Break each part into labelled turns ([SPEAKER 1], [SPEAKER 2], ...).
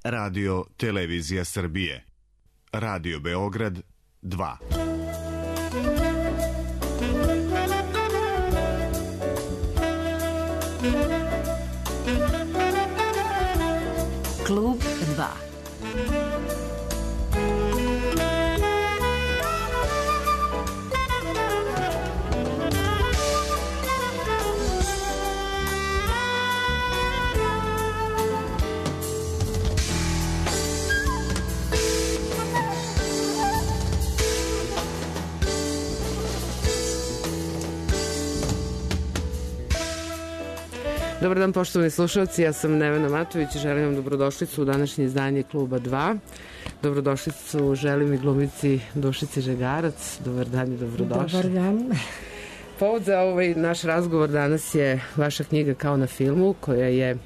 [SPEAKER 1] Radio Televizija Srbije. Radio Beograd 2.
[SPEAKER 2] Klub 2.
[SPEAKER 3] Dobar dan, poštovani slušalci, ja sam Nevena Matović i želim vam dobrodošlicu u današnje izdanje Kluba 2. Dobrodošlicu želim i glumici Dušici Žegarac. Dobar dan i dobrodošli.
[SPEAKER 4] Dobar dan.
[SPEAKER 3] Povod za ovaj naš razgovor danas je vaša knjiga Kao na filmu, koja je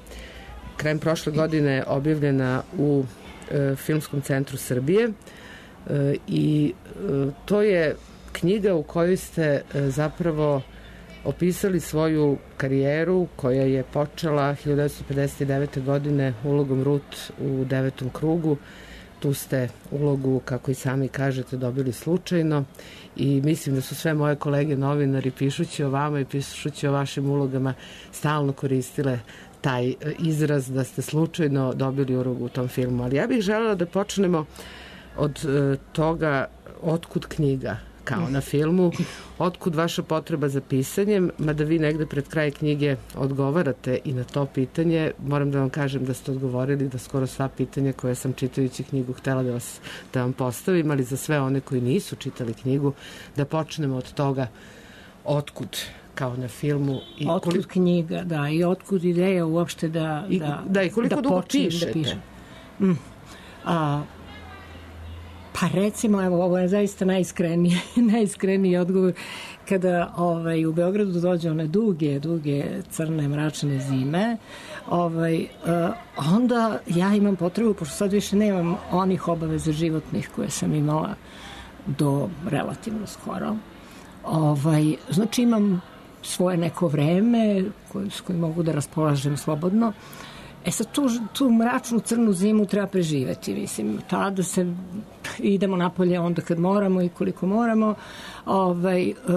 [SPEAKER 3] krajem prošle godine objavljena u Filmskom centru Srbije i to je knjiga u kojoj ste zapravo opisali svoju karijeru koja je počela 1959. godine ulogom Rut u Devetom krugu. Tu ste ulogu, kako i sami kažete, dobili slučajno i mislim da su sve moje kolege novinari, pišući o vama i pišući o vašim ulogama, stalno koristile taj izraz da ste slučajno dobili ulogu u tom filmu. Ali ja bih želela da počnemo od toga otkud knjiga Kao na filmu, otkud vaša potreba za pisanjem, mada vi negde pred kraj knjige odgovarate i na to pitanje. Moram da vam kažem da ste odgovorili da skoro sva pitanja koje sam čitajući knjigu htela da vam postavim, ali za sve one koji nisu čitali knjigu, da počnemo od toga otkud Kao na filmu. I
[SPEAKER 4] otkud knjiga, da, i otkud ideja uopšte
[SPEAKER 3] i koliko dugo pišete?
[SPEAKER 4] Da pišem. Pa recimo, evo, ovo je zaista najiskreniji odgovor. Kada u Beogradu dođe one duge, crne, mračne zime, onda ja imam potrebu, pošto sad više nemam onih obaveza životnih koje sam imala do relativno skoro. Znači imam svoje neko vreme s kojim mogu da raspolažem slobodno. Sad tu mračnu crnu zimu treba preživeti, mislim, tada se idemo napolje onda kad moramo i koliko moramo,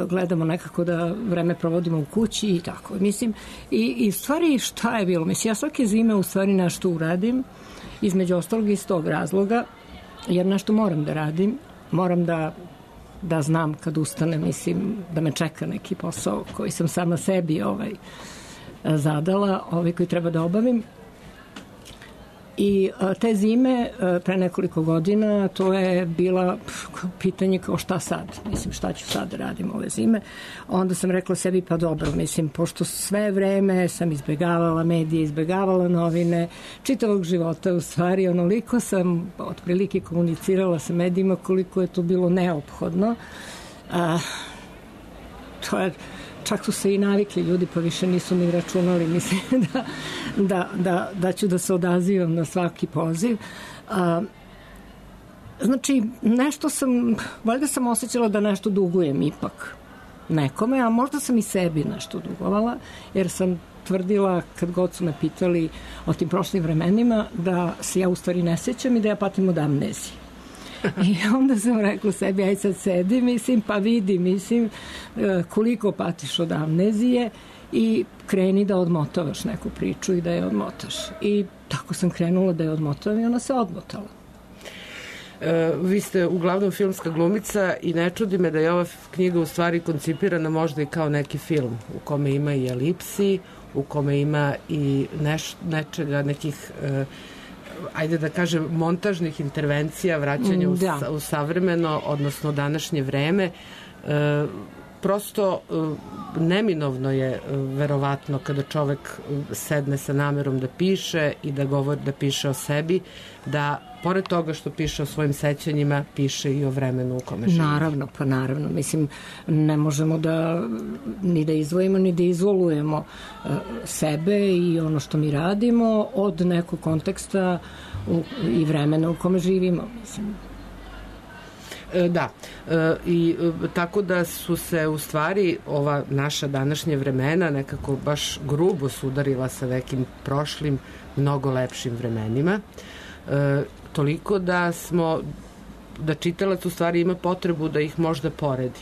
[SPEAKER 4] gledamo nekako da vreme provodimo u kući i tako, mislim, i stvari šta je bilo, mislim, ja svake zime u stvari nešto uradim, između ostalog iz tog razloga, jer nešto moram da radim, moram da znam kad ustanem, mislim, da me čeka neki posao koji sam sama sebi zadala, koji treba da obavim. I te zime, pre nekoliko godina, to je bila pitanje kao šta sad, mislim šta ću sad da radim ove zime. Onda sam rekla sebi pa dobro, mislim, pošto sve vreme sam izbegavala medije, izbegavala novine, čitavog života u stvari, onoliko sam otprilike komunicirala sa medijima koliko je to bilo neophodno. To je, čak su se i navikli ljudi, pa više nisu ni računali, mislim da ću da se odazivam na svaki poziv. Znači, nešto valjda sam osjećala da nešto dugujem ipak nekome, a možda sam i sebi nešto dugovala, jer sam tvrdila, kad god su me pitali o tim prošlim vremenima, da se ja u stvari ne sećam i da ja patim od amnezije. I onda sam rekla sebi, aj sad sedi, mislim, pa vidi, mislim, koliko patiš od amnezije i kreni da odmotavaš neku priču i da je odmotaš. I tako sam krenula da je odmotavam i ona se odmotala.
[SPEAKER 3] Vi ste uglavnom filmska glumica i ne čudi me da je ova knjiga u stvari koncipirana možda i kao neki film u kome ima i elipsi, u kome ima i nečega, nekih ajde da kažem, montažnih intervencija, vraćanja u savremeno, odnosno današnje vreme. Prosto neminovno je verovatno kada čovek sedne sa namerom da piše i da govori, da piše o sebi, da pored toga što piše o svojim sećanjima, piše i o vremenu u kome živi.
[SPEAKER 4] Naravno, mislim, ne možemo ni da izdvojimo, ni da izolujemo sebe i ono što mi radimo od nekog konteksta i vremena u kome živimo, mislim.
[SPEAKER 3] Da, i tako da su se u stvari ova naša današnje vremena nekako baš grubo sudarila sa nekim prošlim, mnogo lepšim vremenima. toliko da čitalac u stvari ima potrebu da ih možda poredi.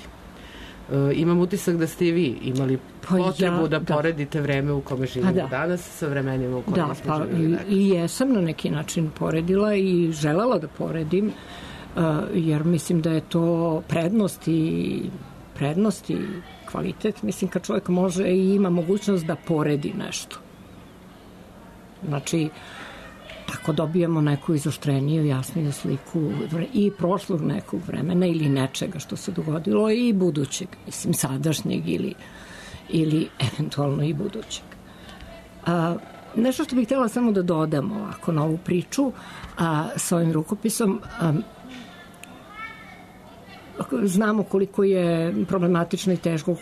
[SPEAKER 3] Imam utisak da ste i vi imali potrebu da poredite vreme u kome živimo danas sa vremenima u kojima smo živjeli.
[SPEAKER 4] I jesam na neki način poredila i želela da poredim, jer mislim da je to prednost i kvalitet. Mislim, kad čovjek može i ima mogućnost da poredi nešto. Znači, tako dobijemo neku izoštreniju, jasniju sliku i prošlog nekog vremena ili nečega što se dogodilo i budućeg, mislim, sadašnjeg ili eventualno i budućeg. Nešto što bih htjela samo da dodam ovako na ovu priču sa ovim rukopisom, znamo koliko je problematično i teško,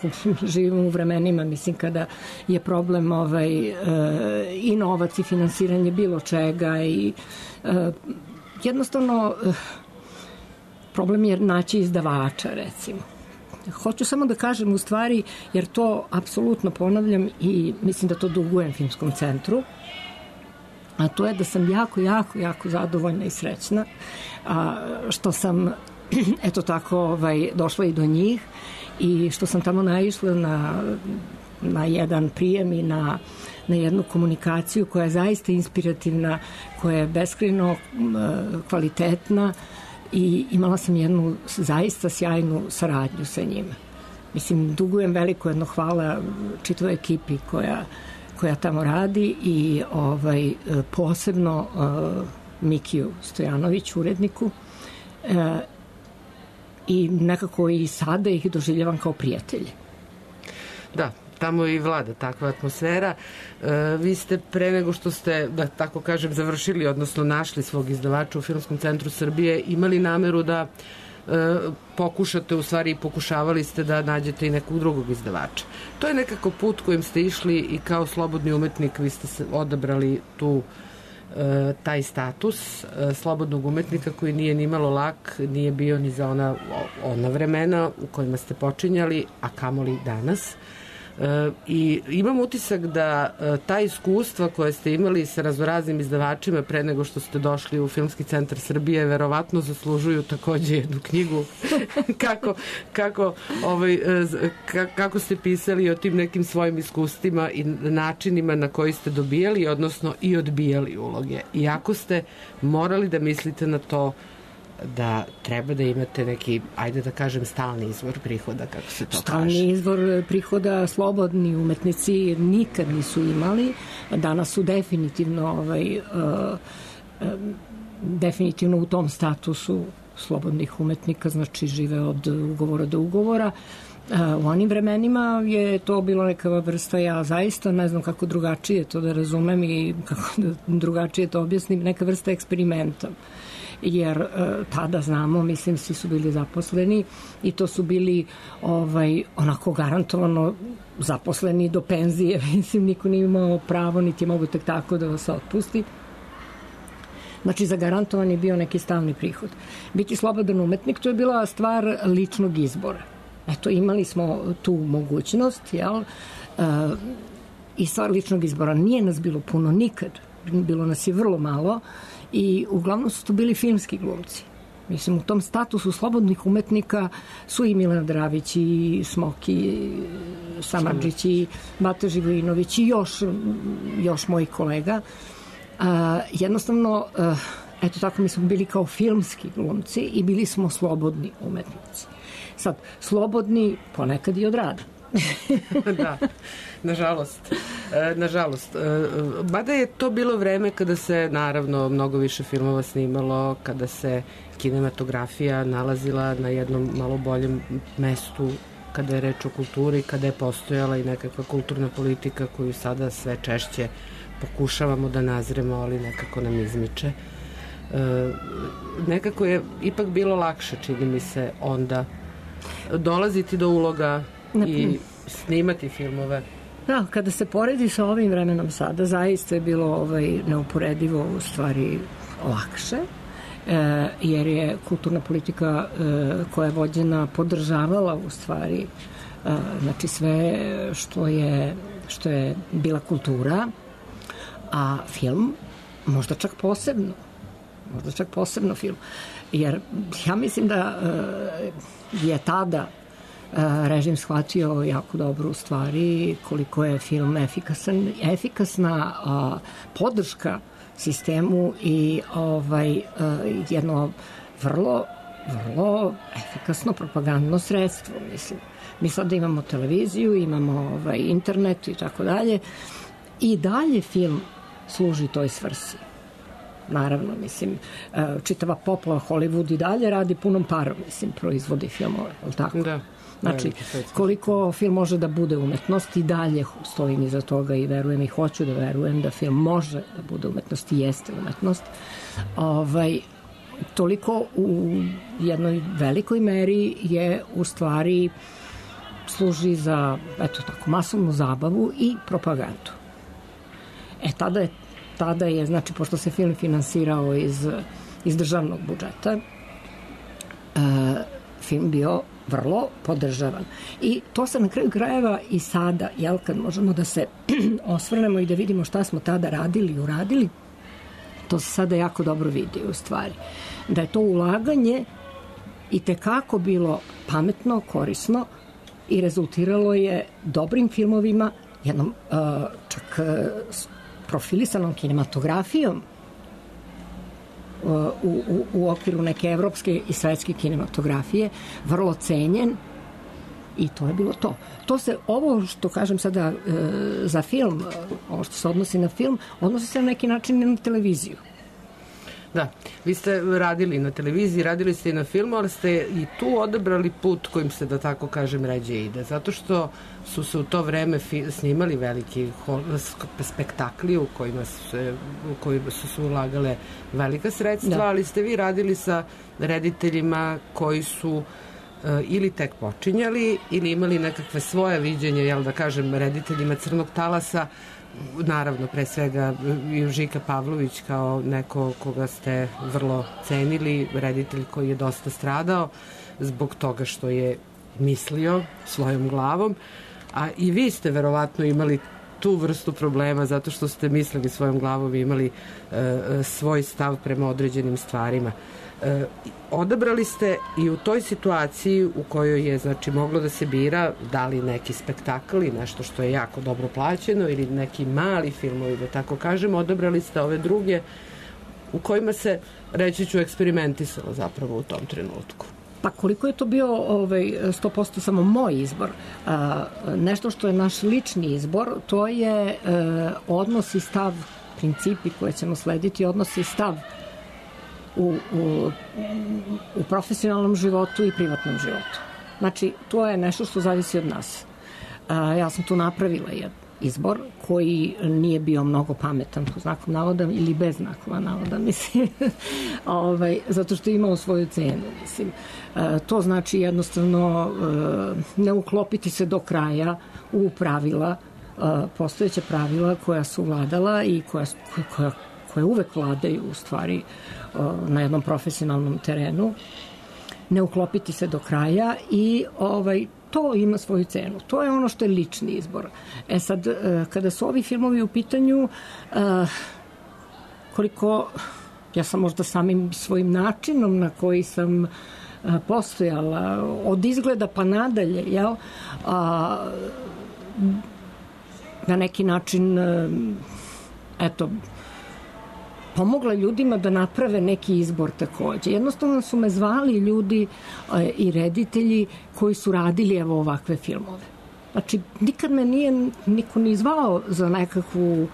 [SPEAKER 4] živimo u vremenima, mislim, kada je problem i novac i finansiranje bilo čega i jednostavno problem je naći izdavača, recimo. Hoću samo da kažem u stvari, jer to apsolutno ponavljam i mislim da to dugujem Filmskom centru, a to je da sam jako zadovoljna i srećna što sam eto tako došla i do njih i što sam tamo naišla na jedan prijem i na jednu komunikaciju koja je zaista inspirativna, koja je beskrajno kvalitetna i imala sam jednu zaista sjajnu saradnju sa njima. Mislim, dugujem veliko jedno hvala čitavoj ekipi koja tamo radi i posebno Mikiju Stojanoviću, uredniku, i nekako i sada ih doživljavam kao prijatelje.
[SPEAKER 3] Da, tamo i vlada takva atmosfera. Vi ste pre nego što ste, da tako kažem, završili, odnosno našli svog izdavača u Filmskom centru Srbije, imali nameru da pokušate, u stvari i pokušavali ste da nađete i nekog drugog izdavača. To je nekako put kojim ste išli i kao slobodni umetnik vi ste odabrali taj status slobodnog umetnika koji nije ni malo lak, nije bio ni za ona vremena u kojima ste počinjali, a kamoli danas. I imam utisak da ta iskustva koje ste imali sa raznoraznim izdavačima pre nego što ste došli u Filmski centar Srbije verovatno zaslužuju takođe jednu knjigu. Kako ste pisali o tim nekim svojim iskustvima i načinima na koji ste dobijali, odnosno i odbijali uloge. Iako ste morali da mislite na to da treba da imate neki, ajde da kažem, stalni izvor prihoda, kako se to kaže.
[SPEAKER 4] Stalni izvor prihoda slobodni umetnici nikad nisu imali. Danas su definitivno u tom statusu slobodnih umetnika, znači žive od ugovora do ugovora. U onim vremenima je to bilo neka vrsta, ja zaista ne znam kako drugačije to da razumem i kako da drugačije to objasnim, neka vrsta eksperimenta. Jer tada znamo, mislim, svi su bili zaposleni i to su bili onako garantovano zaposleni do penzije, mislim, niko nije imao pravo, niti je mogu tek tako da vas otpusti. Znači, zagarantovan je bio neki stalni prihod. Biti slobodan umetnik, to je bila stvar ličnog izbora. Eto, imali smo tu mogućnost, jel? I stvar ličnog izbora. Nije nas bilo puno nikad, bilo nas je vrlo malo, i uglavnom su to bili filmski glumci. Mislim, u tom statusu slobodnih umetnika su i Milena Dravić i Smoki, i Samardžić i Bata Živojinović i još mojih kolega. Jednostavno, eto tako, mi smo bili kao filmski glumci i bili smo slobodni umetnici. Sad, slobodni ponekad i od rada.
[SPEAKER 3] Da, nažalost. Mada je to bilo vreme kada se, naravno, mnogo više filmova snimalo, kada se kinematografija nalazila na jednom malo boljem mestu, kada je reč o kulturi, kada je postojala i nekakva kulturna politika koju sada sve češće pokušavamo da nazremo, ali nekako nam izmiče. Nekako je ipak bilo lakše, čini mi se, onda dolaziti do uloga i snimati filmove.
[SPEAKER 4] Da, kada se poredi sa ovim vremenom sada, zaista je bilo neuporedivo u stvari lakše, jer je kulturna politika koja je vođena podržavala u stvari znači sve što je bila kultura, a film možda čak posebno. možda čak posebno film. Jer ja mislim da je tada režim shvatio jako dobro u stvari koliko je film efikasna podrška sistemu i jedno vrlo efikasno propagandno sredstvo, mislim. Mi sada imamo televiziju, imamo internet i tako dalje i dalje film služi toj svrsi. Naravno, mislim, čitava poplava Hollywood i dalje radi punom parom, mislim, proizvodi filmove, je li tako?
[SPEAKER 3] Da.
[SPEAKER 4] Znači, koliko film može da bude umetnost i dalje stojim iza toga i verujem i hoću da verujem da film može da bude umetnost i jeste umetnost. Toliko u jednoj velikoj meri je u stvari služi za, eto tako, masovnu zabavu i propagandu. Tada je, znači, pošto se film finansirao iz državnog budžeta, film bio vrlo podržavan. I to se na kraju krajeva i sada, jel, kad možemo da se osvrnemo i da vidimo šta smo tada radili i uradili, to se sada jako dobro vidi u stvari. Da je to ulaganje i tekako bilo pametno, korisno i rezultiralo je dobrim filmovima, jednom čak profilisanom kinematografijom u okviru neke evropske i svetske kinematografije, vrlo cenjen i to je bilo to. Ovo što kažem sada za film, ovo što se odnosi na film, odnosi se na neki način i na televiziju.
[SPEAKER 3] Da, vi ste radili na televiziji, radili ste i na filmu, ali ste i tu odabrali put kojim se, da tako kažem, ređe ide. Zato što su se u to vreme snimali veliki spektakli u kojima su se ulagale velika sredstva, ali ste vi radili sa rediteljima koji su ili tek počinjali ili imali nekakve svoje viđenje, jel da kažem, rediteljima Crnog talasa, naravno, pre svega Žika Pavlović kao neko koga ste vrlo cenili, reditelj koji je dosta stradao zbog toga što je mislio svojom glavom, a i vi ste verovatno imali tu vrstu problema zato što ste mislili svojom glavom i imali svoj stav prema određenim stvarima. Odabrali ste i u toj situaciji u kojoj je, znači, moglo da se bira da li neki spektakl i nešto što je jako dobro plaćeno ili neki mali filmovi, da tako kažem, odabrali ste ove druge u kojima se, reći ću, eksperimentisalo zapravo u tom trenutku.
[SPEAKER 4] Pa koliko je to bio 100% samo moj izbor, nešto što je naš lični izbor, to je odnos i stav, principi koje ćemo slediti, odnos i stav u profesionalnom životu i privatnom životu. Znači, to je nešto što zavisi od nas. Ja sam tu napravila jedan izbor koji nije bio mnogo pametan, po znakom navoda ili bez znakova navoda, mislim, zato što je imao svoju cenu, mislim. To znači jednostavno ne uklopiti se do kraja u pravila, postojeća pravila koja su vladala i koja uvek vladaju u stvari na jednom profesionalnom terenu, ne uklopiti se do kraja i to ima svoju cenu. To je ono što je lični izbor. Sad, kada su ovi filmovi u pitanju, koliko ja sam možda samim svojim načinom na koji sam postojala, od izgleda pa nadalje, jel, na neki način, eto, pomogla ljudima da naprave neki izbor takođe. Jednostavno su me zvali ljudi i reditelji koji su radili evo ovakve filmove. Znači, nikad me nije niko ni zvao za nekakvu,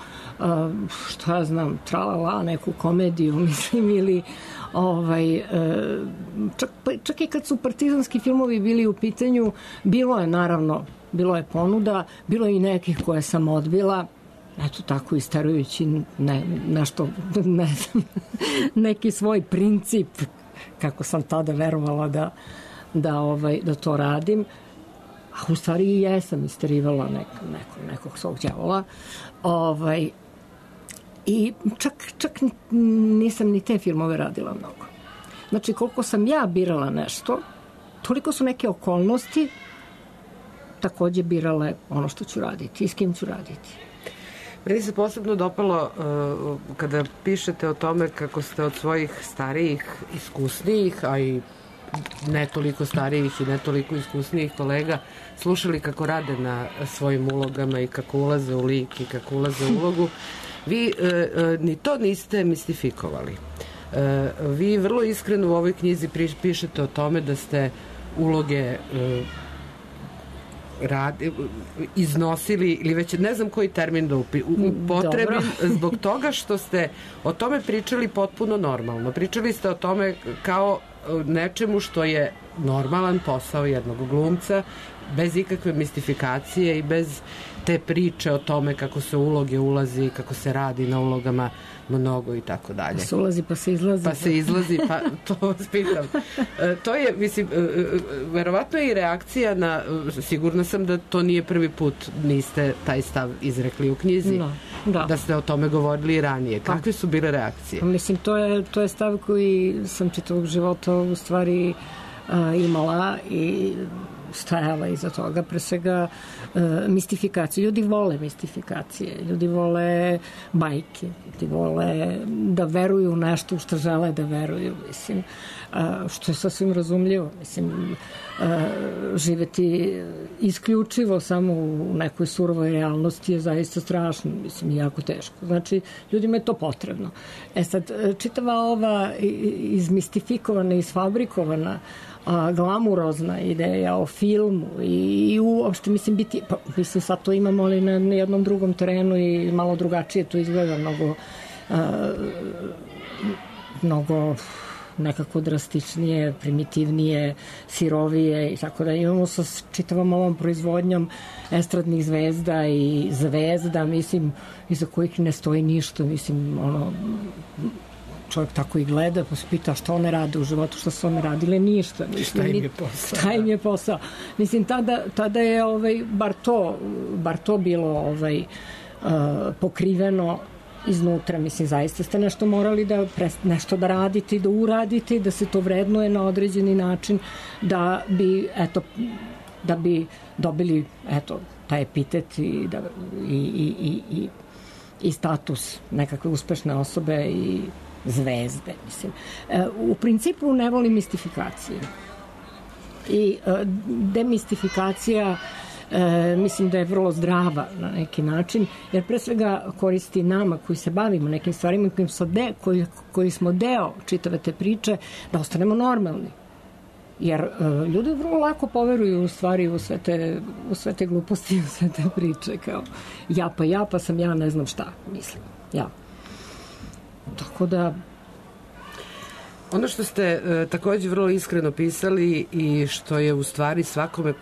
[SPEAKER 4] šta ja znam, tralala, neku komediju, mislim, ili čak i kad su partizanski filmovi bili u pitanju, bilo je, naravno, bilo je ponuda, bilo je i nekih koje sam odbila, eto tako istarujući nešto, ne znam, neki svoj princip, kako sam tada verovala da to radim, a u stvari i jesam istarivala nekog svog đavola. I čak nisam ni te filmove radila mnogo. Znači, koliko sam ja birala nešto, toliko su neke okolnosti takođe birale ono što ću raditi i s kim ću raditi.
[SPEAKER 3] Meni se posebno dopalo kada pišete o tome kako ste od svojih starijih, iskusnijih, a i ne toliko starijih i ne toliko iskusnijih kolega slušali kako rade na svojim ulogama i kako ulaze u lik i kako ulaze u ulogu. Vi ni to niste mistifikovali. Vi vrlo iskreno u ovoj knjizi pišete o tome da ste uloge iznosili, ili već ne znam koji termin da upotrebim, zbog toga što ste o tome pričali potpuno normalno. Pričali ste o tome kao nečemu što je normalan posao jednog glumca, bez ikakve mistifikacije i bez te priče o tome kako se uloge ulazi, kako se radi na ulogama mnogo i tako dalje.
[SPEAKER 4] Pa se ulazi, pa se izlazi.
[SPEAKER 3] Pa se izlazi, pa to vas pitam. To je, mislim, verovatno je i reakcija na, sigurna sam da to nije prvi put niste taj stav izrekli u knjizi, da ste o tome govorili i ranije. Kakve su bile reakcije?
[SPEAKER 4] Mislim, to je stav koji sam čitavog života u stvari imala i stajala iza toga, pre svega mistifikacije. Ljudi vole mistifikacije, ljudi vole bajke, ljudi vole da veruju u nešto što žele da veruju, mislim, što je sasvim razumljivo. Mislim, živeti isključivo samo u nekoj surovoj realnosti je zaista strašno, mislim, jako teško. Znači, ljudima je to potrebno. Sad, čitava ova izmistifikovana, isfabrikovana glamurozna ideja o filmu i uopšte, mislim, biti, pa, mislim, sad to imamo, ali na jednom drugom terenu i malo drugačije to izgleda, mnogo nekako drastičnije, primitivnije, sirovije i tako da imamo sa čitavom ovom proizvodnjom estradnih zvezda i zvezda, mislim, iza kojih ne stoji ništa, mislim, čovjek tako i gleda, pa se pita što one rade u životu, što su one radile, ništa.
[SPEAKER 3] Šta im je posao?
[SPEAKER 4] Šta im je posao? Mislim, tada je bar to bilo pokriveno iznutra. Mislim, zaista ste nešto morali nešto da radite i da uradite, da se to vrednuje na određeni način, da bi dobili, taj epitet i status nekakve uspešne osobe i zvezde, mislim. U principu ne volim mistifikacije. I demistifikacija mislim da je vrlo zdrava na neki način, jer pre svega koristi nama koji se bavimo nekim stvarima koji smo deo čitave te priče, da ostanemo normalni. Jer ljudi vrlo lako poveruju u stvari u sve te gluposti, u sve te priče, kao ja pa sam ja ne znam šta, mislim. Ja. Tako da...
[SPEAKER 3] Ono što ste takođe vrlo iskreno pisali i što je u stvari svakome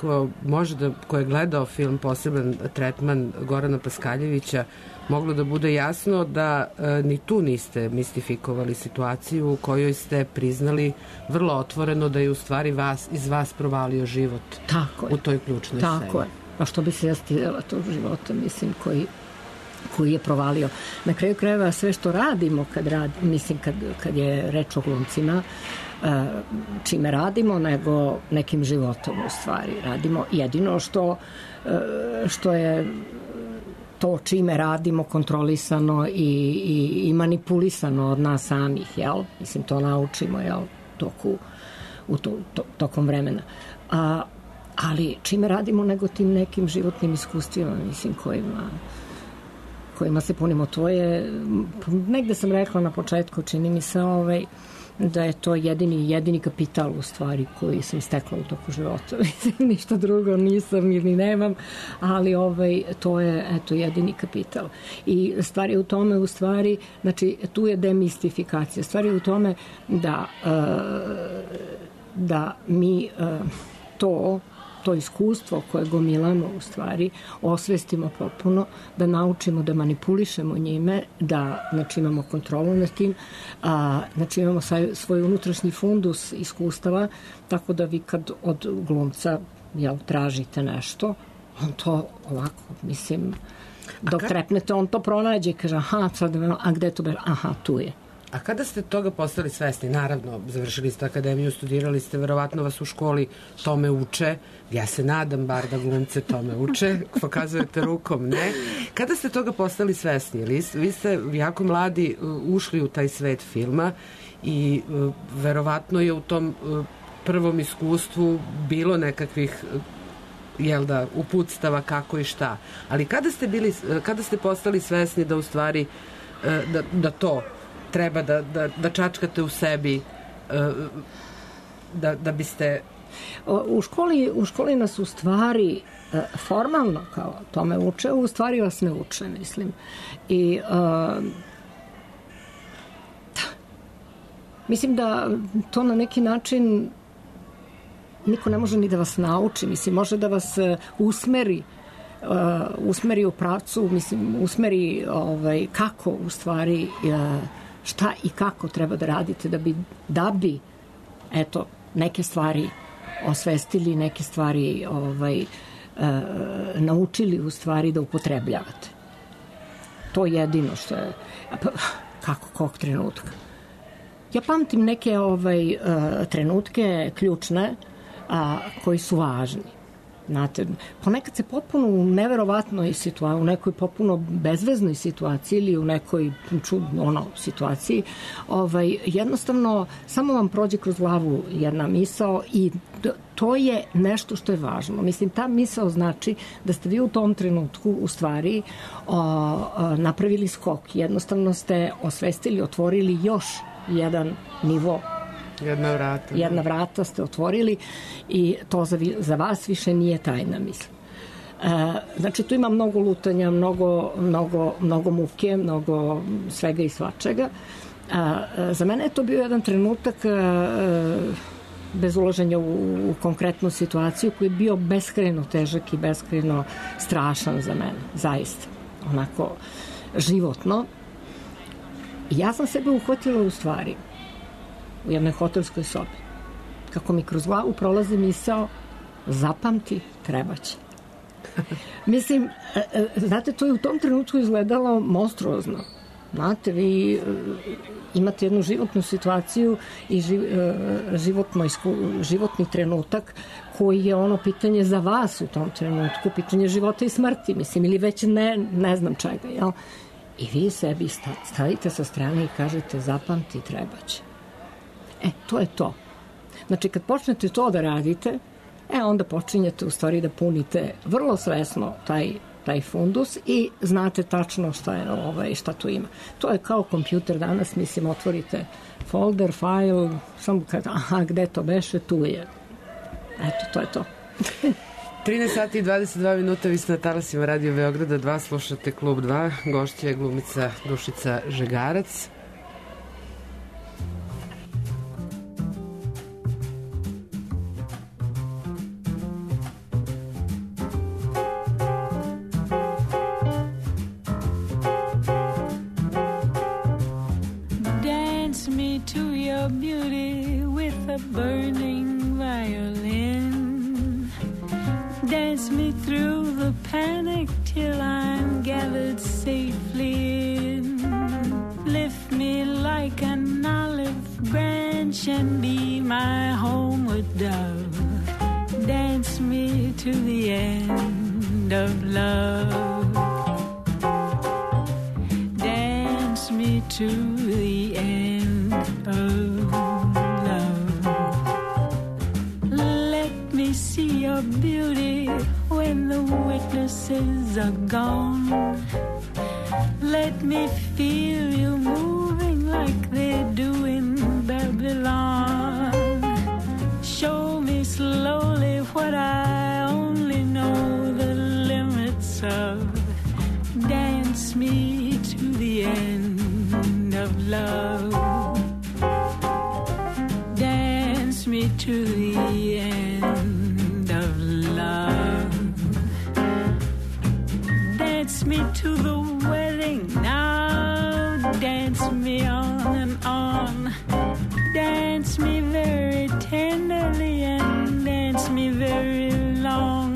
[SPEAKER 3] ko je gledao film Poseban tretman Gorana Paskaljevića moglo da bude jasno da ni tu niste mistifikovali situaciju u kojoj ste priznali vrlo otvoreno da je u stvari iz vas provalio život u toj ključnoj sceni.
[SPEAKER 4] Tako je. A što bi se ja stidela tog života, mislim, koji je provalio. Na kraju krajeva sve što radimo kad je reč o glumcima, čime radimo, nego nekim životom u stvari radimo. Jedino što je to čime radimo kontrolisano i manipulisano od nas samih, jel? Mislim, to naučimo, jel? Tokom vremena. Ali čime radimo nego tim nekim životnim iskustvima, mislim, kojima se punimo. To je, negde sam rekla na početku, čini mi se da je to jedini kapital u stvari koji sam stekla u toku života. Ništa drugo nisam ili nemam, ali to je jedini kapital. I stvar je u tome, u stvari, znači tu je demistifikacija. Stvar je u tome da mi to iskustvo koje gomilamo u stvari osvestimo potpuno, da naučimo da manipulišemo njime, da imamo kontrolu nad tim, znači imamo svoj unutrašnji fundus iskustava, tako da vi kad od glumca tražite nešto, on to ovako, mislim, dok trepnete, on to pronađe i kaže, a gde to beže? Aha, tu je.
[SPEAKER 3] A kada ste toga postali svesni? Naravno, završili ste akademiju, studirali ste, verovatno vas u školi tome uče. Ja se nadam bar da glumce tome uče. Pokazujete rukom, ne? Kada ste toga postali svesni? Vi ste jako mladi ušli u taj svet filma i verovatno je u tom prvom iskustvu bilo nekakvih uputstava kako i šta. Ali kada ste postali svesni da u stvari da to treba da čačkate u sebi da biste...
[SPEAKER 4] U školi nas u stvari formalno kao tome uče, u stvari vas ne uče, mislim. I mislim da to na neki način niko ne može ni da vas nauči, mislim, može da vas usmeri u pravcu, mislim, usmeri kako u stvari šta i kako treba da radite da bi eto, neke stvari osvestili, neke stvari naučili u stvari da upotrebljavate. To je jedino što je kog trenutka. Ja pamtim neke trenutke ključne koji su važni. Znate, ponekad se potpuno u neverovatnoj situaciji, u nekoj potpuno bezveznoj situaciji ili u nekoj situaciji, jednostavno samo vam prođe kroz glavu jedna misao i to je nešto što je važno. Mislim, ta misao znači da ste vi u tom trenutku u stvari napravili skok. Jednostavno ste osvestili, otvorili još jedan nivo. Jedna vrata ste otvorili i to za vas više nije tajna, mislim. Znači, tu ima mnogo lutanja, mnogo muke, mnogo svega i svačega. Za mene je to bio jedan trenutak bez ulaženja u konkretnu situaciju koji je bio beskrajno težak i beskrajno strašan za mene, zaista. Onako, životno. I ja sam sebe uhvatila u stvari u jednoj hotelskoj sobi. Kako mi kroz glavu prolazi misao, zapamti, trebaće. Mislim, znate, to je u tom trenutku izgledalo monstruozno. Znate, vi imate jednu životnu situaciju i životni trenutak koji je ono pitanje za vas u tom trenutku, pitanje života i smrti, mislim, ili već ne znam čega, jel? I vi sebi stavite sa strane i kažete, zapamti, trebaće. To je to. Znači, kad počnete to da radite, onda počinjete u stvari da punite vrlo svesno taj fundus i znate tačno šta tu ima. To je kao kompjuter danas, mislim, otvorite folder, file, samo kad, gde to beše, tu je. Eto, to je to.
[SPEAKER 3] 13 sati i 22 minuta, vi ste na talasima Radio Beograda 2, slušate Klub 2, gošća je glumica Dušica Žegarac.
[SPEAKER 2] Beauty with a burning violin. Dance me through the panic till I'm gathered safely in. Lift me like an olive branch and be my homeward dove. Dance me to the end of love. Dance me to the end of see your beauty when the witnesses are gone. Let me feel you moving like they do in Babylon. Show me slowly what I only know the limits of. Dance me to the end of love. Dance me to the end of love. Dance me to the wedding now. Dance me on and on. Dance me very tenderly and dance me very long.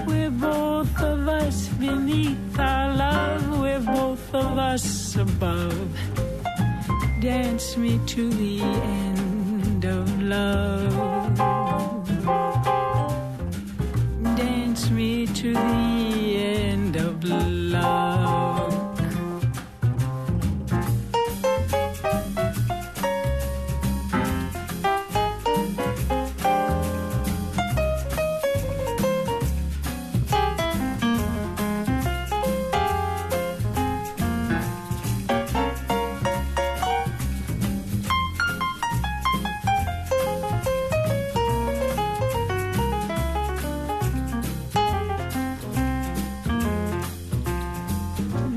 [SPEAKER 2] We're both of us beneath our love. We're both of us above. dance me to the end of love. Dance me to the end of love.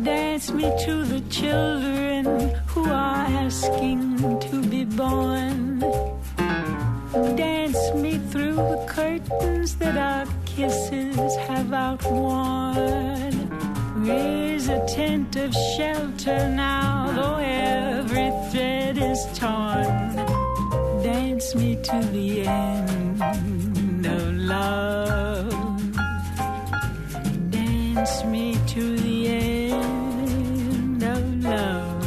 [SPEAKER 2] Dance me to the children who are asking to be born. Dance me through the curtains that our kisses have outworn. Raise a tent of shelter now, though every thread is torn. Dance me to the end of love. Dance me to the end of love.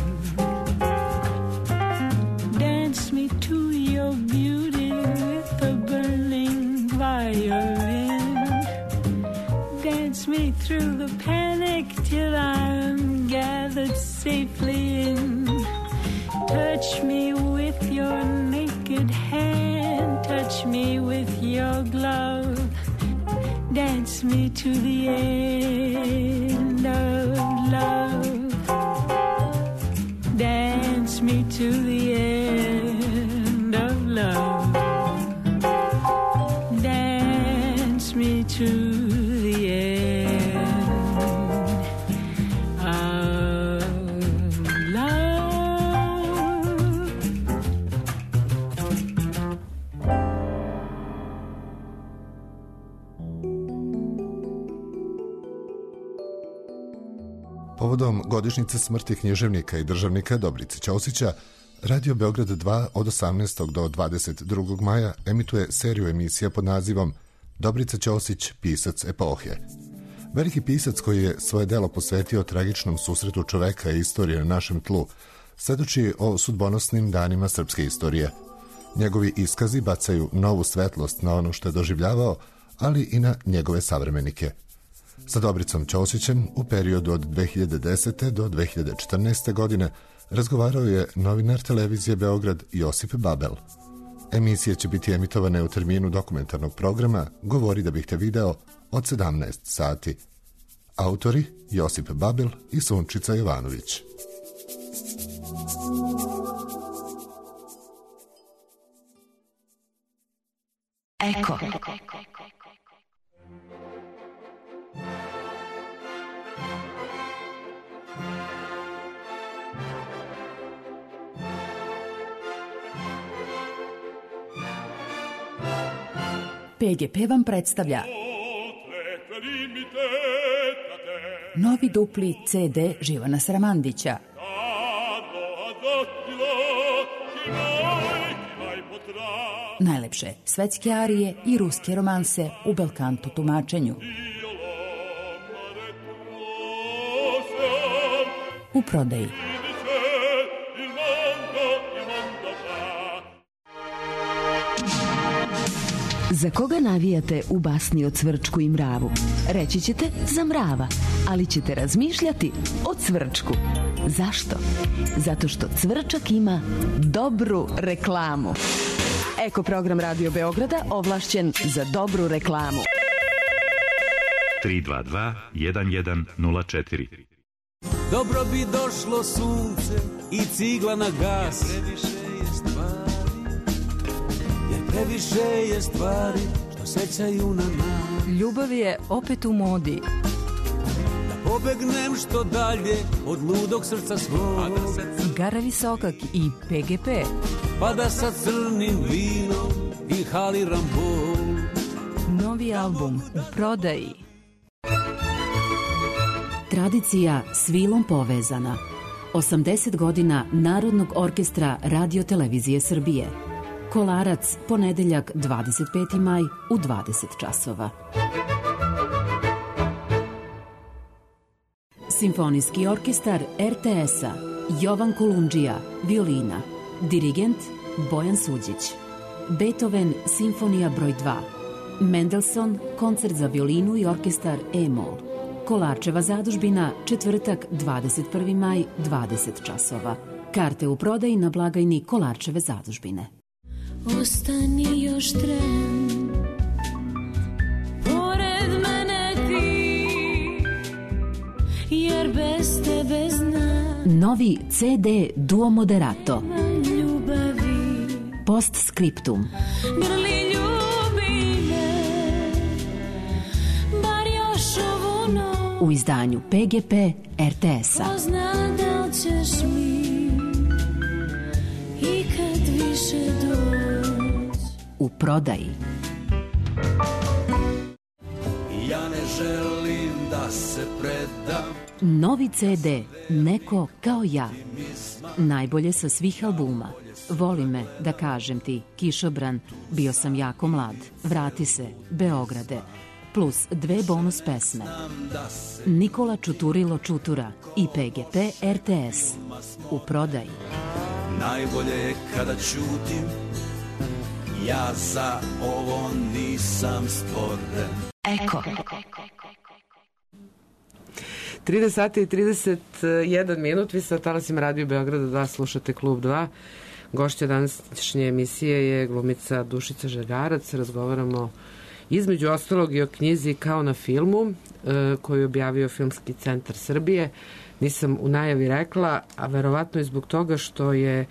[SPEAKER 2] Dance me to your beauty with a burning violin. Dance me through the panic till I'm gathered safely in. Touch me with your naked hand. Touch me with your glove. Dance me to the end of love. Dance me to the end of love. Dance me to the end of love.
[SPEAKER 5] Povodom godišnjice smrti književnika i državnika Dobrice Ćosića, Radio Beograd 2 od 18. do 22. maja emituje seriju emisija pod nazivom Dobrica Ćosić, pisac epohe. Veliki pisac koji je svoje delo posvetio tragičnom susretu čoveka i istorije na našem tlu, svedoči o sudbonosnim danima srpske istorije. Njegovi iskazi bacaju novu svetlost na ono što je doživljavao, ali i na njegove savremenike. Sa Dobricom Ćosićem u periodu od 2010. do 2014. godine razgovarao je novinar televizije Beograd Josip Babel. Emisije će biti emitovane u terminu dokumentarnog programa Govori da bih te video od 17 sati. Autori Josip Babel i Sunčica Jovanović.
[SPEAKER 6] Eko. PGP vam predstavlja novi dupli CD Živana Sramandića. Najlepše svetske arije i ruske romanse u belkanto tumačenju. U prodaji.
[SPEAKER 7] Za koga navijate u basni o Cvrčku i mravu? Reći ćete za mrava, ali ćete razmišljati o Cvrčku. Zašto? Zato što Cvrčak ima dobru reklamu. Eko program Radio Beograda ovlašćen za dobru reklamu.
[SPEAKER 8] 322 1104.
[SPEAKER 9] Dobro bi došlo sunce i cigla na gas. Previše je stvari što sećaju na nas.
[SPEAKER 6] Ljubav je opet u modi.
[SPEAKER 9] Da pobegnem što dalje od ludog srca svog.
[SPEAKER 6] Igara Visokak i PGP.
[SPEAKER 9] Pa da sa crnim vinom inhaliram bol.
[SPEAKER 6] Novi album u prodaji.
[SPEAKER 7] Tradicija s vilom povezana. 80 godina Narodnog orkestra Radio Televizije Srbije. Kolarac, ponedeljak 25. maj u 20 časova. Simfonijski orkestar RTS-a
[SPEAKER 10] Jovan Kolundžija, violina. Dirigent Bojan Suđić. Beethoven, Simfonija broj 2. Mendelssohn, koncert za violinu i orkestar E-mol. Kolarčeva zadužbina, četvrtak, 21. maj, 20 časova. Karte u prodaji na blagajni Kolarčeve zadužbine.
[SPEAKER 2] Ostani još tren, pored mene ti, jer bez tebe znam.
[SPEAKER 10] Novi CD Duo Moderato.
[SPEAKER 2] Ljubavi.
[SPEAKER 10] Postscriptum.
[SPEAKER 2] Grli ljubi me, bar još ovu noć.
[SPEAKER 10] U izdanju PGP RTS-a.
[SPEAKER 2] Ko zna da li ćeš mi ikad više doći.
[SPEAKER 10] U prodaji.
[SPEAKER 9] Ja ne želim da se predam.
[SPEAKER 10] Novi CD Neko kao ja. Najbolje sa svih albuma. Voli me, da kažem ti, Kišobran, bio sam jako mlad, vrati se, Beograde, plus 2 bonus pesme. Nikola Čuturilo Čutura i PGP RTS. U prodaji.
[SPEAKER 9] Najbolje je kada ćutim, ja za ovo nisam stvoren.
[SPEAKER 7] Eko.
[SPEAKER 3] 30 sati i 31 minut, vi ste na talasima Radio Beograda 2, slušate Klub 2. Gošća današnje emisije je glumica Dušica Žegarac. Razgovaramo između ostalog i o knjizi Kao na filmu, koju je objavio Filmski centar Srbije. Nisam u najavi rekla, a verovatno i zbog toga što je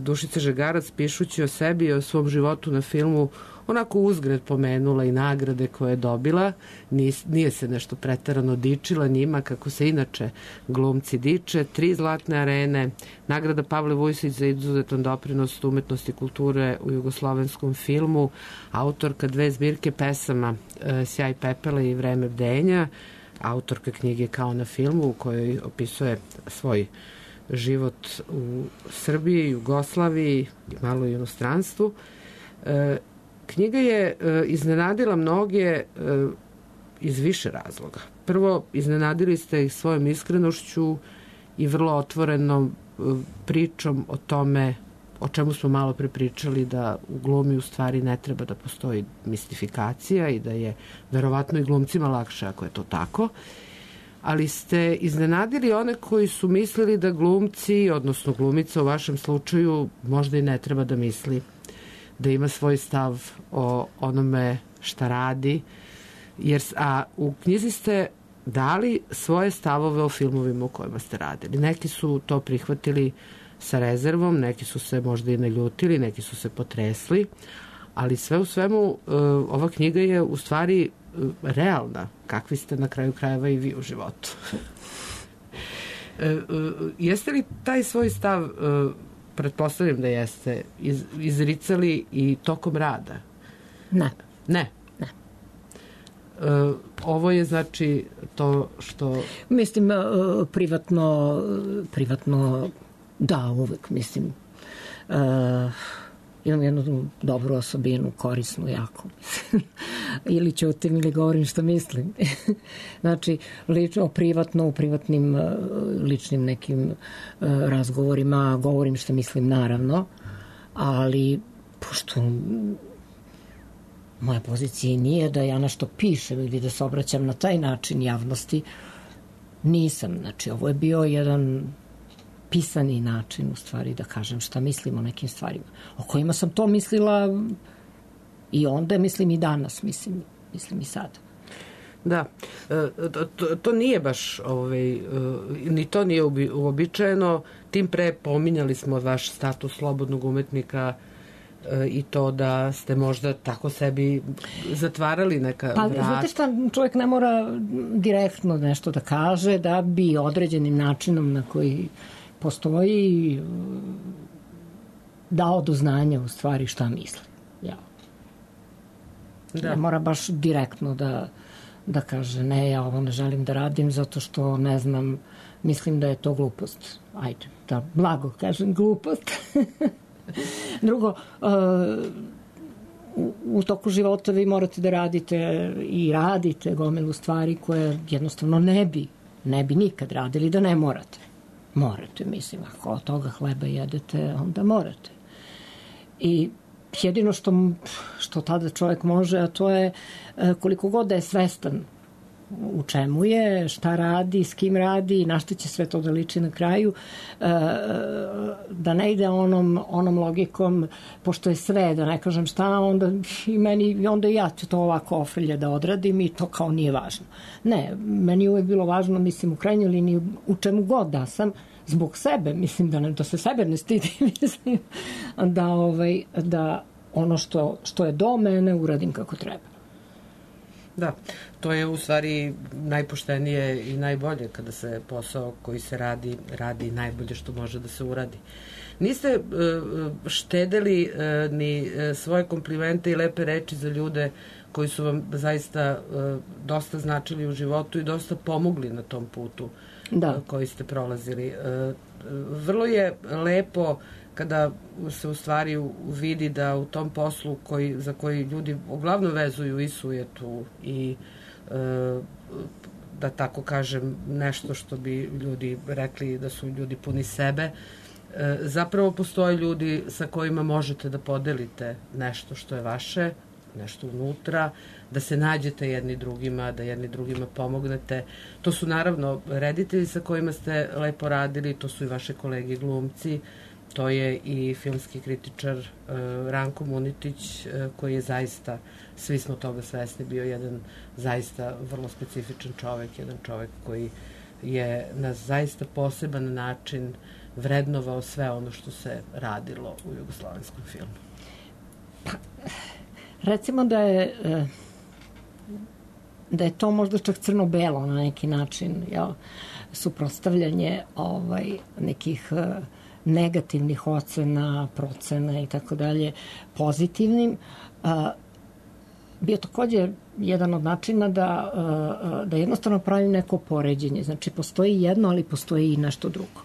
[SPEAKER 3] Dušica Žegarac, pišući o sebi i o svom životu na filmu, onako uzgred pomenula i nagrade koje je dobila. Nije se nešto preterano dičila njima, kako se inače glumci diče. 3 zlatne arene, nagrada Pavle Vujsić za izuzetan doprinos umetnosti i kulture u jugoslovenskom filmu, autorka 2 zbirke pesama Sjaj pepela i Vreme bdenja, autorka knjige Kao na filmu, u kojoj opisuje svoj život u Srbiji, Jugoslaviji, malo i inostranstvu. Knjiga je iznenadila mnoge iz više razloga. Prvo, iznenadili ste ih svojom iskrenošću i vrlo otvorenom pričom o tome o čemu smo malo pre pričali, da u glumi u stvari ne treba da postoji mistifikacija i da je verovatno i glumcima lakše ako je to tako. Ali ste iznenadili one koji su mislili da glumci, odnosno glumica u vašem slučaju, možda i ne treba da misli, da ima svoj stav o onome šta radi, a u knjizi ste dali svoje stavove o filmovima u kojima ste radili. Neki su to prihvatili sa rezervom, neki su se možda i naljutili, neki su se potresli, ali sve u svemu ova knjiga je u stvari realna, kakvi ste na kraju krajeva i vi u životu. Jeste li taj svoj stav, pretpostavljam da jeste, izricali i tokom rada?
[SPEAKER 4] Ne.
[SPEAKER 3] Ne?
[SPEAKER 4] Ne.
[SPEAKER 3] Ovo je znači to što...
[SPEAKER 4] Mislim, privatno da, uvek, mislim. Imam jednu dobru osobinu, korisnu jako. Ili ćutim ili govorim što mislim. Znači, lično, privatno, u privatnim ličnim nekim razgovorima govorim što mislim, naravno, ali pošto moja pozicija nije da ja nešto pišem ili da se obraćam na taj način javnosti, nisam. Znači, ovo je bio jedan pisani način, u stvari, da kažem šta mislim o nekim stvarima, o kojima sam to mislila i onda, mislim i danas, mislim i sada.
[SPEAKER 3] Da, to nije baš, ni to nije uobičajeno, tim pre pominjali smo vaš status slobodnog umetnika i to da ste možda tako sebi zatvarali neka vrata.
[SPEAKER 4] Pa, znate šta, čovjek ne mora direktno nešto da kaže da bi određenim načinom na koji postoji dao do znanja u stvari šta misli. Ja. Ne mora baš direktno da kaže ne, ja ovo ne želim da radim zato što ne znam, mislim da je to glupost. Ajde, da blago kažem glupost. Drugo, u toku života vi morate da radite i radite gomilu stvari koje jednostavno ne bi nikad radili da ne morate. Morate, mislim, ako od toga hleba jedete, onda morate. I jedino što tada čovjek može, a to je koliko god da je svestan u čemu je, šta radi, s kim radi, na što će sve to da liči na kraju, da ne ide onom logikom, pošto je sve, da ne kažem šta, onda i ja ću to ovako ofrlje da odradim i to kao nije važno. Ne, meni je uvek bilo važno, mislim, u krajnjoj liniji, u čemu god da sam, zbog sebe, mislim, da se sebe ne stidi, mislim, da ono što je do mene uradim kako treba.
[SPEAKER 3] Da, to je u stvari najpoštenije i najbolje kada se posao koji se radi najbolje što može da se uradi. Niste štedeli ni svoje komplimente i lepe reči za ljude koji su vam zaista dosta značili u životu i dosta pomogli na tom putu koji ste prolazili. Vrlo je lepo kada se u stvari vidi da u tom poslu za koji ljudi uglavnom vezuju i sujetu i da tako kažem nešto što bi ljudi rekli da su ljudi puni sebe, zapravo postoje ljudi sa kojima možete da podelite nešto što je vaše, nešto unutra, da se nađete jedni drugima, da jedni drugima pomognete. To su naravno reditelji sa kojima ste lepo radili, to su i vaše kolege glumci, to je i filmski kritičar Ranko Munitić, koji je zaista, svi smo toga svesni, bio jedan zaista vrlo specifičan čovek, jedan čovek koji je na zaista poseban način vrednovao sve ono što se radilo u jugoslovenskom filmu.
[SPEAKER 4] Recimo da je to možda čak crno-belo na neki način, suprotstavljanje nekih negativnih ocena, procena i tako dalje pozitivnim. Bio također jedan od načina da jednostavno pravim neko poređenje. Znači, postoji jedno, ali postoji i nešto drugo.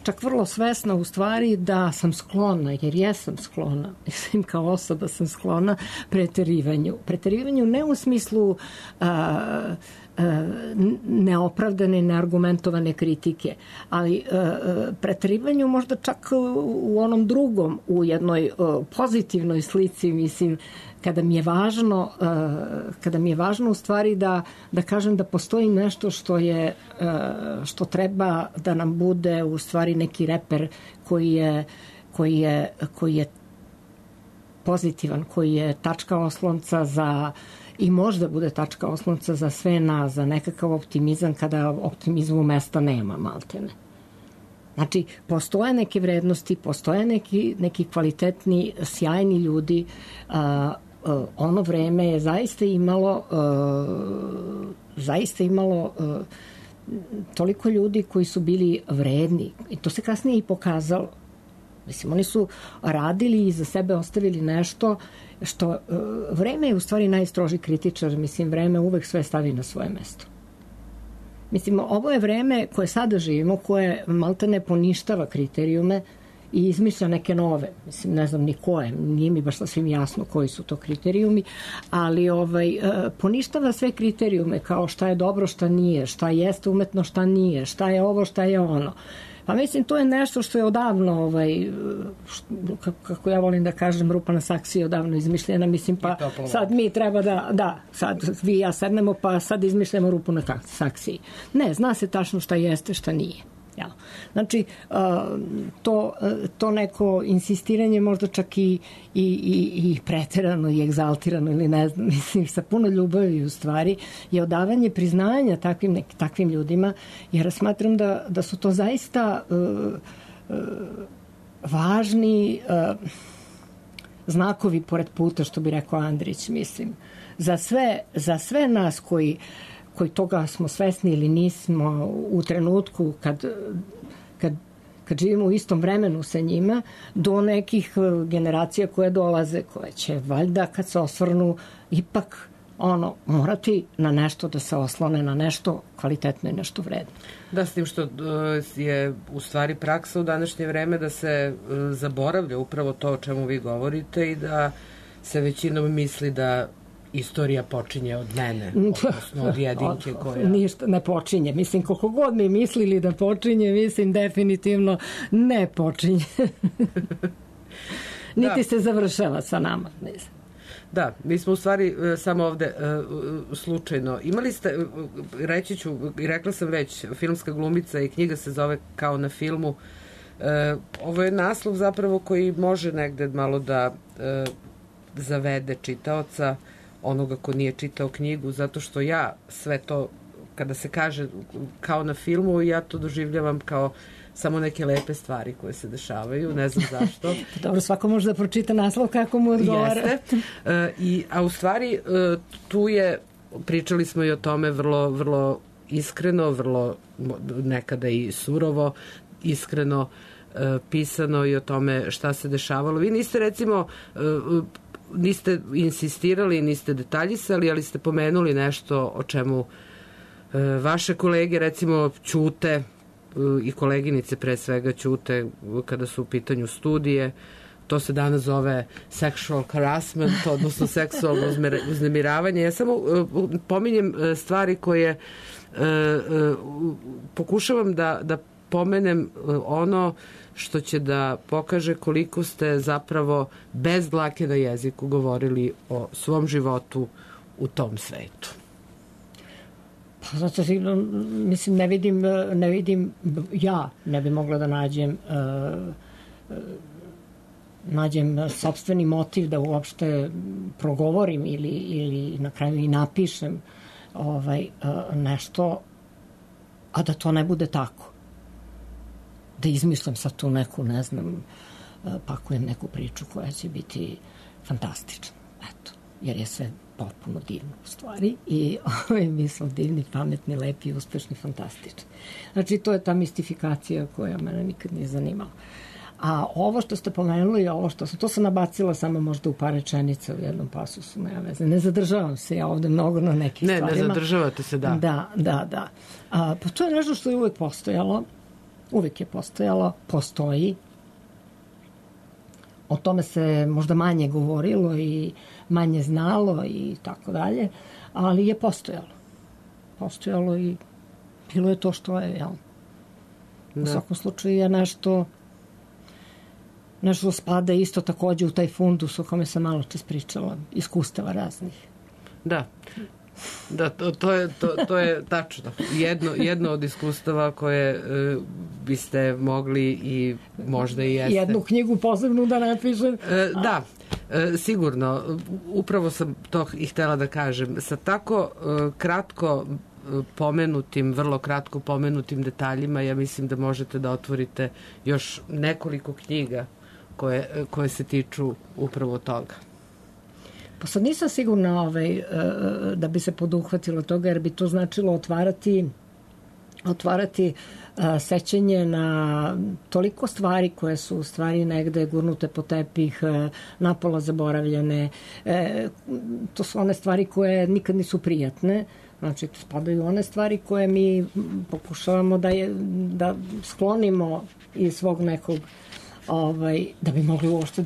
[SPEAKER 4] Čak vrlo svesna u stvari da sam sklona, jer jesam sklona, mislim kao osoba sam sklona preterivanju. Preterivanju ne u smislu neopravdane, neargumentovane kritike, ali preterivanju možda čak u onom drugom, u jednoj pozitivnoj slici, mislim, kada mi je važno u stvari da kažem da postoji nešto što treba da nam bude u stvari neki reper koji je pozitivan, koji je tačka oslonca i možda bude tačka oslonca za sve nas, za nekakav optimizam kada optimizmu mesta nema, maltene. Znači, postoje neke vrednosti, postoje neki kvalitetni, sjajni ljudi. Ono vreme je zaista imalo toliko ljudi koji su bili vredni i to se kasnije i pokazalo. Mislim, oni su radili i za sebe ostavili nešto što vreme je u stvari najstroži kritičar, mislim, vreme uvek sve stavi na svoje mesto. Mislim, ovo je vreme koje sada živimo, koje maltene poništava kriterijume i izmišlja neke nove. Mislim, ne znam ni koje, nije mi baš sasvim jasno koji su to kriterijumi, ali poništava sve kriterijume kao šta je dobro, šta nije, šta jeste umetno, šta nije, šta je ovo, šta je ono. Pa mislim, to je nešto što je odavno, kako ja volim da kažem, rupa na saksiji odavno izmišljena, mislim, pa sad mi treba sad vi i ja sednemo, pa sad izmišljamo rupu na saksiji. Ne, zna se tačno šta jeste, šta nije. Znači, to neko insistiranje možda čak i preterano i egzaltirano ili ne znam, mislim, sa puno ljubavi u stvari je odavanje priznanja takvim ljudima, jer smatram da su to zaista važni znakovi pored puta, što bi rekao Andrić, mislim. Za sve nas koji toga smo svesni ili nismo u trenutku kad živimo u istom vremenu sa njima, do nekih generacija koje dolaze, koje će valjda kad se osvrnu ipak morati na nešto da se oslone, na nešto kvalitetno i nešto vredno.
[SPEAKER 3] Da, s tim što je u stvari praksa u današnje vreme da se zaboravlja upravo to o čemu vi govorite i da se većinom misli da istorija počinje od mene, odnosno od jedinke koja...
[SPEAKER 4] Ništa ne počinje. Mislim, koliko god mi mislili da počinje, mislim, definitivno ne počinje. Niti se završava sa nama, mislim.
[SPEAKER 3] Da, mi smo u stvari samo ovde slučajno. Imali ste, reći ću, i rekla sam već, filmska glumica i knjiga se zove Kao na filmu. Ovo je naslov zapravo koji može negde malo da zavede čitaoca, onoga ko nije čitao knjigu, zato što ja sve to, kada se kaže kao na filmu, ja to doživljavam kao samo neke lepe stvari koje se dešavaju, ne znam zašto.
[SPEAKER 4] Dobro, svako može da pročita naslov kako mu odgovara.
[SPEAKER 3] Jeste. A u stvari tu je, pričali smo i o tome vrlo iskreno, vrlo nekada i surovo, iskreno pisano i o tome šta se dešavalo. Vi niste recimo niste insistirali, niste detaljisali, ali ste pomenuli nešto o čemu vaše kolege recimo ćute i koleginice pre svega ćute kada su u pitanju studije. To se danas zove sexual harassment, odnosno seksualno uznemiravanje. Ja samo pominjem stvari koje pokušavam da pomenem ono što će da pokaže koliko ste zapravo bez dlake na jeziku govorili o svom životu u tom svetu.
[SPEAKER 4] Pa zato mislim, ne vidim, ja ne bi mogla da nađem sopstveni motiv da uopšte progovorim ili na kraju i napišem nešto, a da to ne bude tako. Da izmišljam sad tu neku, ne znam, pakujem neku priču koja će biti fantastična. Eto, jer je sve potpuno divno u stvari i mi smo divni, pametni, lepi, uspešni, fantastični. Znači, to je ta mistifikacija koja mene nikad nije zanimala. A ovo što ste pomenuli, to sam nabacila samo možda u par rečenica u jednom pasusu, nema veze. Ne zadržavam se ja ovde mnogo na nekih stvarima.
[SPEAKER 3] Ne zadržavate se, da.
[SPEAKER 4] Da. Pa to je nešto što je uvek postojalo. Uvijek je postojalo, postoji. O tome se možda manje govorilo i manje znalo i tako dalje, ali je postojalo. Postojalo i bilo je to što je, jel? U svakom slučaju je nešto spada isto takođe u taj fundus o kome sam malo čas pričala, iskustava raznih.
[SPEAKER 3] Da, to je tačno. Jedno od iskustava koje biste mogli i možda i jeste.
[SPEAKER 4] Jednu knjigu posebnu da napišem.
[SPEAKER 3] Da, sigurno. Upravo sam to i htela da kažem. Sa tako vrlo kratko pomenutim detaljima, ja mislim da možete da otvorite još nekoliko knjiga koje se tiču upravo toga.
[SPEAKER 4] Pa sad nisam sigurna da bi se poduhvatilo toga, jer bi to značilo otvarati sećanje na toliko stvari koje su u stvari negde gurnute po tepih, napola zaboravljene. To su one stvari koje nikad nisu prijatne. Znači, spadaju one stvari koje mi pokušavamo da sklonimo iz svog nekog, da bi mogli uopšte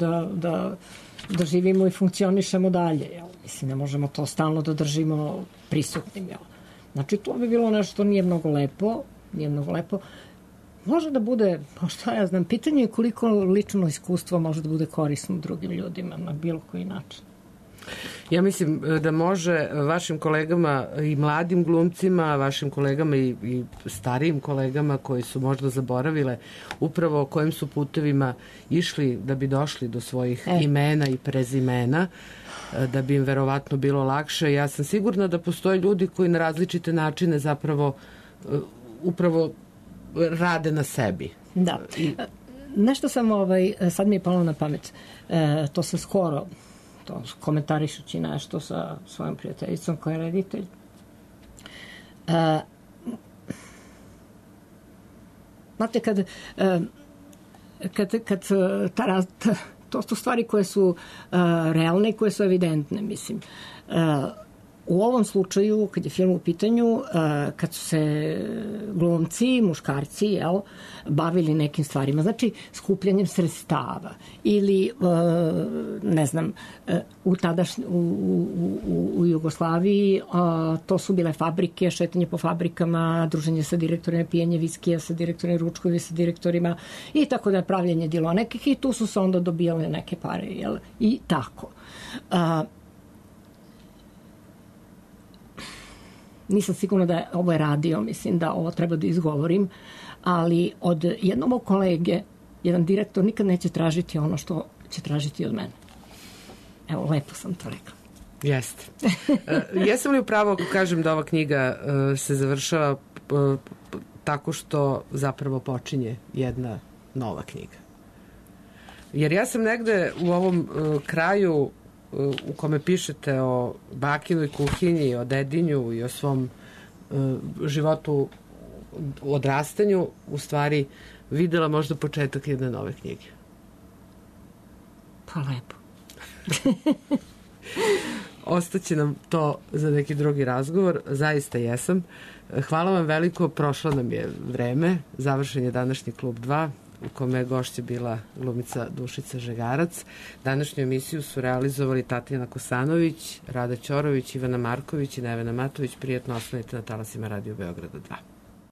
[SPEAKER 4] da živimo i funkcionišemo dalje. Jel? Mislim, ne možemo to stalno da držimo prisutnim. Jel? Znači, to bi bilo nešto što nije mnogo lepo. Može da bude, pa šta ja znam, pitanje je koliko lično iskustvo može da bude korisno drugim ljudima na bilo koji način.
[SPEAKER 3] Ja mislim da može vašim kolegama i mladim glumcima, vašim kolegama i starijim kolegama koji su možda zaboravile upravo kojim su putevima išli da bi došli do svojih imena i prezimena, da bi im verovatno bilo lakše. Ja sam sigurna da postoje ljudi koji na različite načine zapravo upravo rade na sebi.
[SPEAKER 4] Da. Nešto sam, sad mi je palo na pamet, to sam skoro komentarišući nešto sa svojom prijateljicom koja je reditelj. Znate, kad to su stvari koje su realne i koje su evidentne, mislim. U ovom slučaju, kad je film u pitanju, kad su se glumci, muškarci, jel, bavili nekim stvarima, znači skupljanjem sredstava ili, ne znam, u Jugoslaviji to su bile fabrike, šetanje po fabrikama, druženje sa direktorima, pijenje viskija sa direktorima, ručkovi sa direktorima i tako da je pravljenje dilo nekih i tu su se onda dobijale neke pare, jel, i tako. Nisam sigurna da ovo je radio, mislim da ovo treba da izgovorim, ali od jednog mog kolege, jedan direktor nikad neće tražiti ono što će tražiti od mene. Evo, lepo sam to rekla.
[SPEAKER 3] Jeste. Jesam li upravo ako kažem da ova knjiga se završava tako što zapravo počinje jedna nova knjiga? Jer ja sam negde u ovom kraju u kome pišete o bakinoj kuhinji, o dedinju i o svom životu, odrastanju, u stvari videla možda početak jedne nove knjige.
[SPEAKER 4] Pa lepo.
[SPEAKER 3] Ostaće nam to za neki drugi razgovor. Zaista jesam. Hvala vam veliko. Prošlo nam je vreme. Završen je današnji Klub 2 u kome je gošća bila glumica Dušica Žegarac. Današnju emisiju su realizovali Tatjana Kosanović, Rada Ćorović, Ivana Marković i Nevena Matović. Prijetno ostanite na talasima Radio Beograda 2.